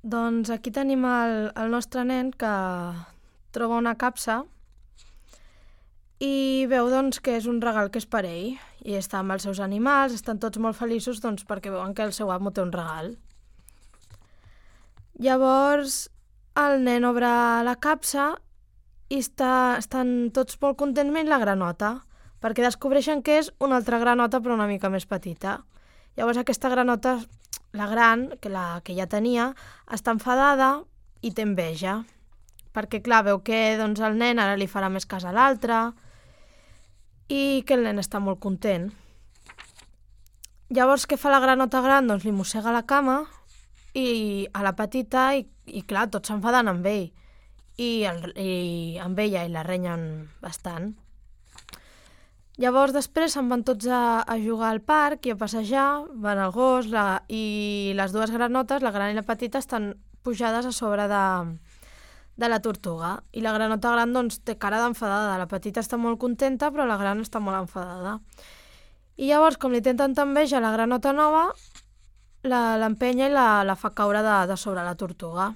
Doncs aquí tenim el nostre nen que troba una capsa i veu doncs, que és un regal que és per ell. I està amb els seus animals, estan tots molt feliços doncs, perquè veuen que el seu amo té un regal. Llavors el nen obre la capsa i estan tots molt contents menys la granota, perquè descobreixen que és una altra granota però una mica més petita. Llavors aquesta granota, la gran, que ja tenia, està enfadada i té enveja, perquè clar, veu que doncs, el nen ara li farà més cas a l'altre i que el nen està molt content. Llavors què fa la granota gran? Doncs li mossega la cama i a la petita i clar, tots s'enfaden amb ell i amb ella i la renyen bastant. Llavors després se'n van tots a jugar al parc i a passejar, van al gos i les dues granotes, la gran i la petita, estan pujades a sobre de la tortuga i la granota gran doncs, té cara d'enfadada, la petita està molt contenta però la gran està molt enfadada. I llavors, com li té tanta enveja la granota nova, l'empenya i la fa caure de sobre la tortuga.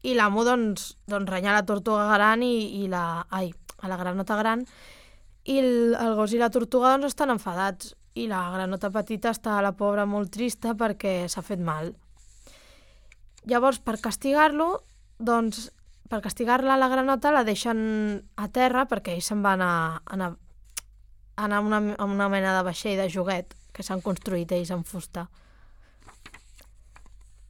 I l'amo doncs renya la tortuga gran a la granota gran i el gos i la tortuga doncs estan enfadats i la granota petita està, la pobra, molt trista perquè s'ha fet mal. Llavors, per castigar-lo, doncs, per castigar-la la granota la deixen a terra perquè ells se'n van anar a una mena de vaixell de joguet que s'han construït ells amb fusta.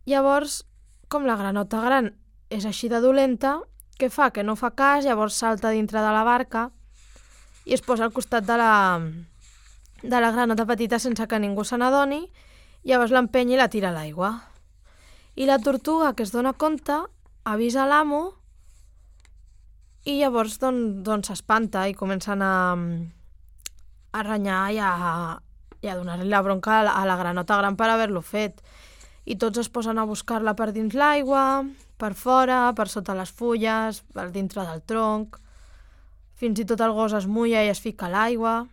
Llavors, com la granota gran és així de dolenta, què fa? Que no fa cas, llavors salta dintre de la barca i es posa al costat de la granota petita sense que ningú se n'adoni, llavors l'empenya i la tira a l'aigua. I la tortuga, que es dona compte, avisa l'amo i llavors doncs s'espanta i comencen a renyar i a donar-li la bronca a la granota gran per haver-lo fet. I tots es posen a buscar-la per dins l'aigua, per fora, per sota les fulles, per dintre del tronc. Fins i tot el gos es mulla i es fica a l'aigua.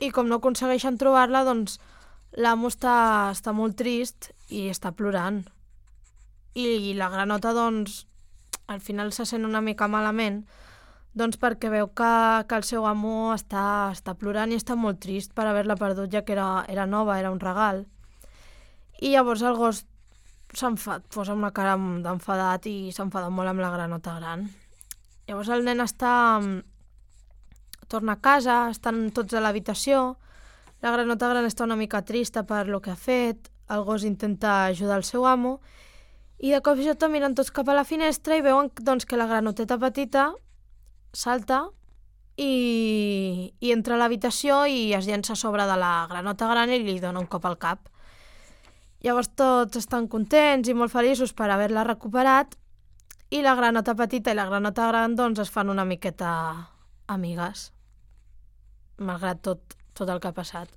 I com no aconsegueixen trobar-la, doncs l'amo està molt trist i està plorant. I la granota, doncs, al final se sent una mica malament, doncs perquè veu que el seu amo està plorant i està molt trist per haver-la perdut, ja que era nova, era un regal. I llavors el gos posa una cara d'enfadat i s'enfada molt amb la granota gran. Llavors el nen torna a casa, estan tots a l'habitació, la granota gran està una mica trista per lo que ha fet, el gos intenta ajudar el seu amo i de cop i volta miren tots cap a la finestra i veuen doncs, que la granoteta petita salta i entra a l'habitació i es llença a sobre de la granota gran i li dona un cop al cap. Llavors tots estan contents i molt feliços per haver-la recuperat i la granota petita i la granota gran doncs es fan una miqueta amigues, malgrat tot el que ha passat.